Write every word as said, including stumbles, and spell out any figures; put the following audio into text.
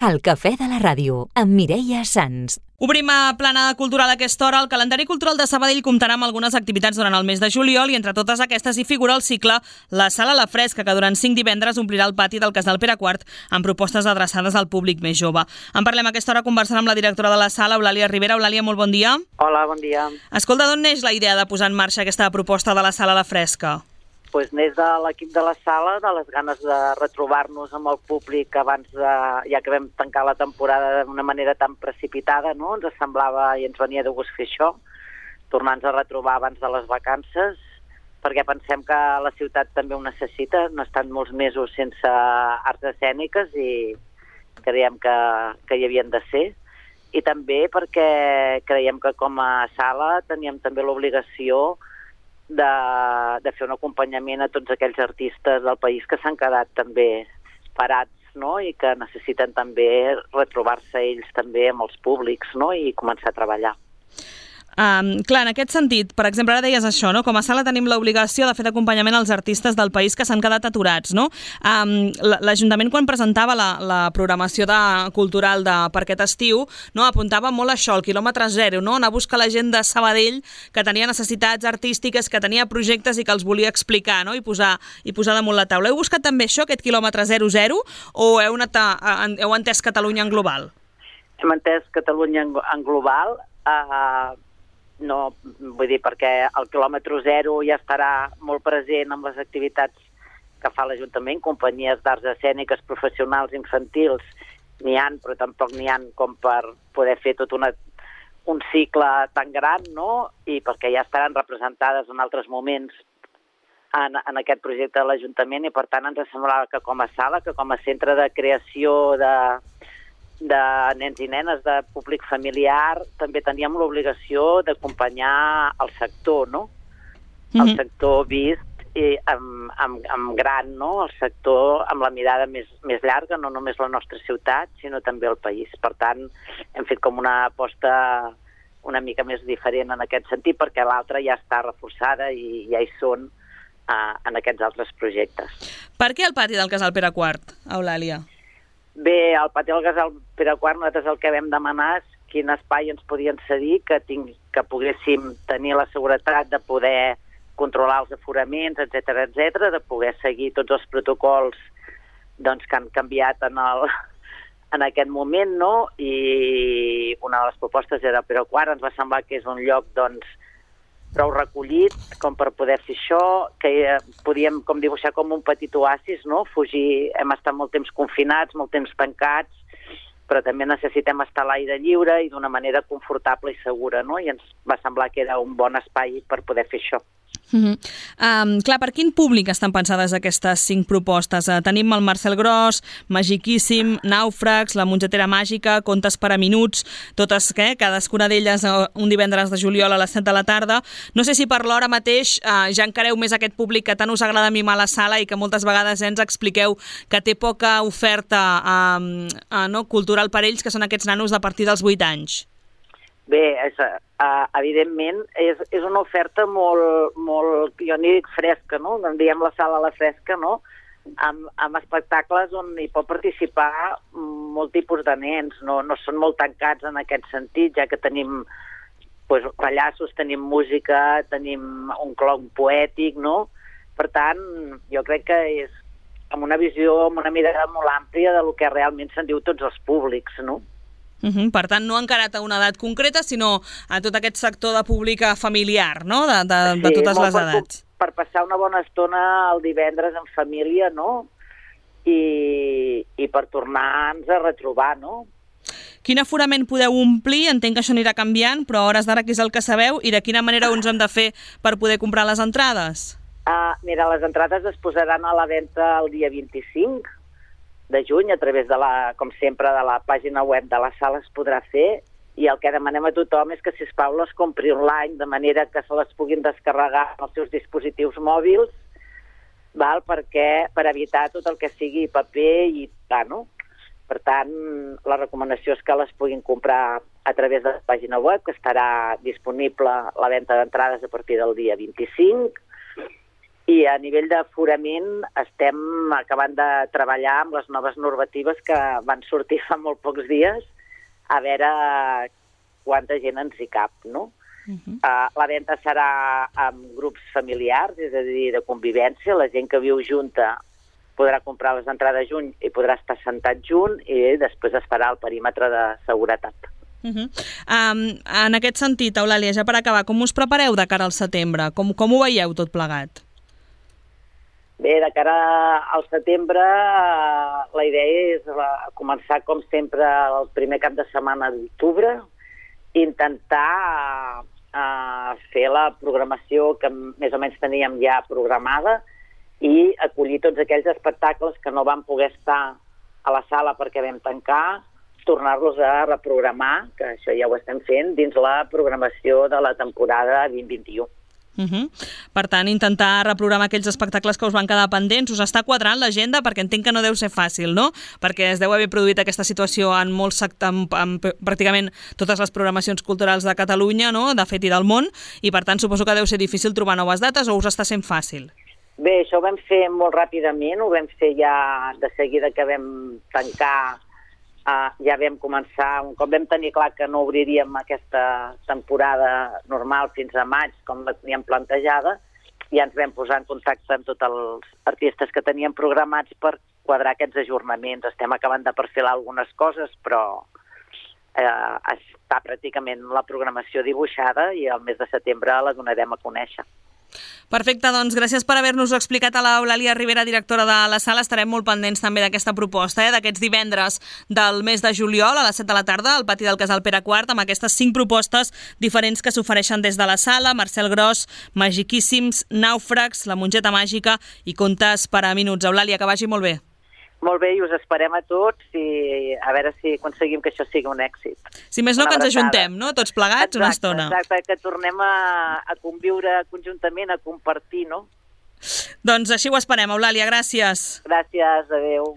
El cafè de la ràdio, amb Mireia Sans. Obrim a plana cultural a aquesta hora. El calendari cultural de Sabadell comptarà amb algunes activitats durant el mes de juliol i entre totes aquestes hi figura el cicle La Sala a la Fresca, que durant cinc divendres omplirà el pati del Casal Pere quart amb propostes adreçades al públic més jove. En parlem a aquesta hora conversant amb la directora de la sala, Eulàlia Rivera. Eulàlia, molt bon dia. Hola, bon dia. Escolta, d'on neix la idea de posar en marxa aquesta proposta de La Sala a la Fresca? Pues neix de l'equip de la sala, de les ganes de retrobar-nos amb el públic abans de, ja que vam tancar la temporada d'una manera tan precipitada, no? Ens semblava i ens venia de gust fer això, tornar-nos a retrobar abans de les vacances, perquè pensem que la ciutat també ho necessita. No estan molts mesos sense arts escèniques i creiem que, que hi havien de ser. I també perquè creiem que com a sala teníem també l'obligació De, de fer un acompanyament a tots aquells artistes del país que s'han quedat també parats, no? I que necessiten també retrobar-se ells també amb els públics, no? I començar a treballar. Um, clar, en aquest sentit, per exemple, ara deies això, no? Com a sala tenim l'obligació de fer d'acompanyament als artistes del país que s'han quedat aturats, no? Um, L'Ajuntament, quan presentava la, la programació de, cultural de, per aquest estiu, no? Apuntava molt això, el quilòmetre zero, no? Anar a buscar la gent de Sabadell que tenia necessitats artístiques, que tenia projectes i que els volia explicar, no? I posar, i posar damunt la taula. Heu buscat també això, aquest quilòmetre zero zero, o heu, anat a, heu entès Catalunya en global? Hem entès Catalunya en, en global, eh... No, vull dir, perquè el quilòmetre zero ja estarà molt present amb les activitats que fa l'Ajuntament, companyies d'arts escèniques professionals infantils n'hi ha, però tampoc n'hi ha com per poder fer tot una, un cicle tan gran, no? I perquè ja estaran representades en altres moments en, en aquest projecte de l'Ajuntament i per tant ens semblava que com a sala, que com a centre de creació de de nens i nenes, de públic familiar, també teníem l'obligació d'acompanyar el sector, no? Mm-hmm. El sector vist i amb, amb, amb gran, no? El sector amb la mirada més, més llarga, no només la nostra ciutat, sinó també el país. Per tant, hem fet com una aposta una mica més diferent en aquest sentit, perquè l'altra ja està reforçada i ja hi són uh, en aquests altres projectes. Per què el pati del Casal Pere quart, Eulàlia? Bé, al pati del Casal Pere quart nosaltres el que vam demanar és quin espai ens podien cedir, que, ting, que poguéssim tenir la seguretat de poder controlar els aforaments, etcètera, etcètera, de poder seguir tots els protocols doncs, que han canviat en, el, en aquest moment, no? I una de les propostes era Pere quart, ens va semblar que és un lloc doncs, prou recollit com per poder fer això, que podíem com dibuixar com un petit oasis, no? Fugir, hem estat molt temps confinats, molt temps tancats, però també necessitem estar a l'aire lliure i d'una manera confortable i segura, no? I ens va semblar que era un bon espai per poder fer això. Mm-hmm. um, clar, per quin públic estan pensades aquestes cinc propostes? Uh, tenim el Marcel Gros, Magiquíssim, Nàufrags, La mongetera màgica, Contes per a minuts, totes, eh, cadascuna d'elles uh, un divendres de juliol a les set de la tarda. No sé si per l'hora mateix uh, ja encareu més aquest públic que tant us agrada mimar a la sala i que moltes vegades eh, ens expliqueu que té poca oferta uh, uh, no, cultural per ells, que són aquests nanos de partir dels vuit anys. Bé, és, uh, evidentment, és, és una oferta molt, molt, jo n'hi dic fresca, no? En diem la sala a la fresca, no? Amb, amb espectacles on hi pot participar molt tipus de nens, no, no són molt tancats en aquest sentit, ja que tenim pues, pallassos, tenim música, tenim un clown poètic, no? Per tant, jo crec que és amb una visió, amb una mirada molt àmplia de lo que realment se'n diu tots els públics, no? Uh-huh. Per tant, no encarat a una edat concreta, sinó a tot aquest sector de públic familiar, no? De, de, sí, de totes les edats. Per, per passar una bona estona el divendres en família, no? I, i per tornar-nos a retrobar, no? Quin aforament podeu omplir? Entenc que això anirà canviant, però a hores d'ara què és el que sabeu i de quina manera uns hem de fer per poder comprar les entrades? Uh, mira, les entrades es posaran a la venda el dia vint-i-cinc de juny, a través de la, com sempre, de la pàgina web de la sala es podrà fer, i el que demanem a tothom és que, sisplau, les compri online, de manera que se les puguin descarregar als seus dispositius mòbils, val? Perquè, per evitar tot el que sigui paper i tal, no? Per tant, la recomanació és que les puguin comprar a través de la pàgina web, que estarà disponible la venda d'entrades a partir del dia vint-i-cinc, I a nivell d'aforament estem acabant de treballar amb les noves normatives que van sortir fa molt pocs dies, a veure quanta gent ens hi cap, no? Uh-huh. Uh, la venda serà amb grups familiars, és a dir, de convivència. La gent que viu junta podrà comprar les entrades junt i podrà estar sentat junt i després es farà el perímetre de seguretat. Uh-huh. Um, en aquest sentit, Eulàlia, ja per acabar, com us prepareu de cara al setembre? Com, com ho veieu tot plegat? Bé, de cara al setembre, la idea és la, començar, com sempre, el primer cap de setmana d'octubre, intentar uh, fer la programació que més o menys teníem ja programada i acollir tots aquells espectacles que no van poder estar a la sala perquè vam tancar, tornar-los a reprogramar, que això ja ho estem fent, dins la programació de la temporada vint vint-vint-un. Uh-huh. Per tant, intentar reprogramar aquells espectacles que us van quedar pendents. Us està quadrant l'agenda? Perquè entenc que no deu ser fàcil, no? Perquè es deu haver produït aquesta situació en molts sectors, en, en pràcticament totes les programacions culturals de Catalunya, no? De fet i del món, i per tant suposo que deu ser difícil trobar noves dates, o us està sent fàcil? Bé, això ho vam fer molt ràpidament, ho vam fer ja de seguida que vam tancar. Uh, ja vam començar, un cop vam tenir clar que no obriríem aquesta temporada normal fins a maig, com la teníem plantejada, ja ens vam posar en contacte amb tots els artistes que teníem programats per quadrar aquests ajornaments. Estem acabant de perfilar algunes coses, però eh, està pràcticament la programació dibuixada i el mes de setembre la donarem a conèixer. Perfecte, doncs gràcies per haver-nos-ho explicat a l'Eulàlia Ribera, directora de la sala. Estarem molt pendents també d'aquesta proposta, eh, d'aquests divendres del mes de juliol a les set de la tarda al pati del Casal Pere quart, amb aquestes cinc propostes diferents que s'ofereixen des de la sala: Marcel Gros, Magiquíssims, Nàufrags, La Mongeta Màgica i Contes per a minuts. Eulàlia, que vagi molt bé. Molt bé, i us esperem a tots i a veure si aconseguim que això sigui un èxit. Si més no, que ens ajuntem, no? Tots plegats, exacte, una estona. Exacte, que tornem a, a conviure conjuntament, a compartir, no? Doncs així ho esperem, Eulàlia, gràcies. Gràcies, adeu.